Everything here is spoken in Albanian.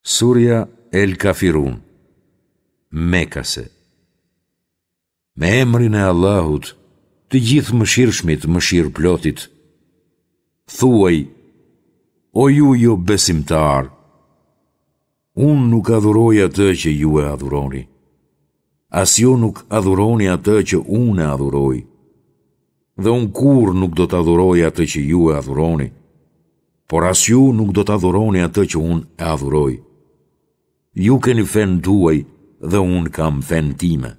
Surja El Kafirun, Mekase Me emrin e Allahut, të Gjithëmëshirshmit mëshirëplotit, thuaj, o ju jobesimtarë, unë nuk adhuroj atë që ju e adhuroni, as ju nuk adhuroni atë që unë e adhuroj, dhe unë kurrë nuk do të adhuroj atë që ju e adhuroni, por as ju nuk do të adhuroni atë që unë e adhuroj. Ju keni fenë tuaj dhe unë kam fenë time.